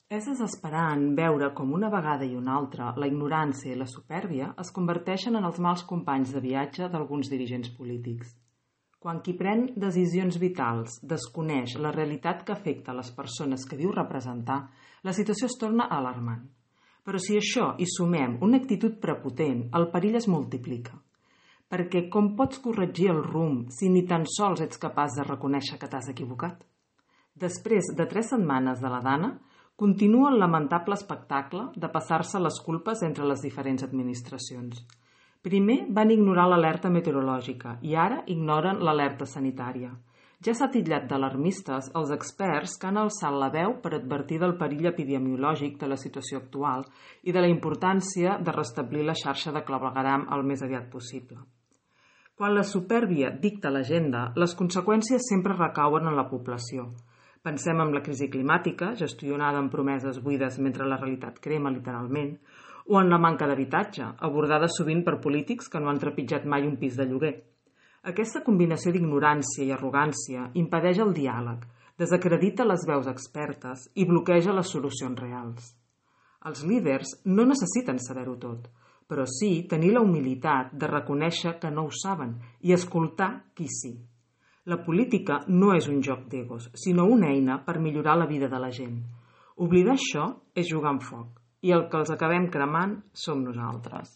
És desesperant veure com una vegada i una altra la ignorància i la supèrbia es converteixen en els mals companys de viatge d'alguns dirigents polítics. Quan qui pren decisions vitals desconeix la realitat que afecta les persones que diu representar, la situació es torna alarmant. Però si a això hi sumem una actitud prepotent, el perill es multiplica. Perquè com pots corregir el rumb si ni tan sols ets capaç de reconèixer que t'has equivocat? Després de 3 setmanes de la Dana, continua el lamentable espectacle de passar-se les culpes entre les diferents administracions. Primer van ignorar l'alerta meteorològica i ara ignoren l'alerta sanitària. Ja s'ha titllat d'alarmistes els experts que han alçat la veu per advertir del perill epidemiològic de la situació actual i de la importància de restablir la xarxa de clavegueram el més aviat possible. Quan la supèrbia dicta l'agenda, les conseqüències sempre recauen en la població. Pensem en la crisi climàtica, gestionada amb promeses buides mentre la realitat crema literalment, o en la manca d'habitatge, abordada sovint per polítics que no han trepitjat mai un pis de lloguer. Aquesta combinació d'ignorància i arrogància impedeix el diàleg, desacredita les veus expertes i bloqueja les solucions reals. Els líders no necessiten saber-ho tot, però sí tenir la humilitat de reconèixer que no ho saben i escoltar qui sí. La política no és un joc d'egos, sinó una eina per millorar la vida de la gent. Oblidar això és jugar amb foc, i el que els acabem cremant som nosaltres.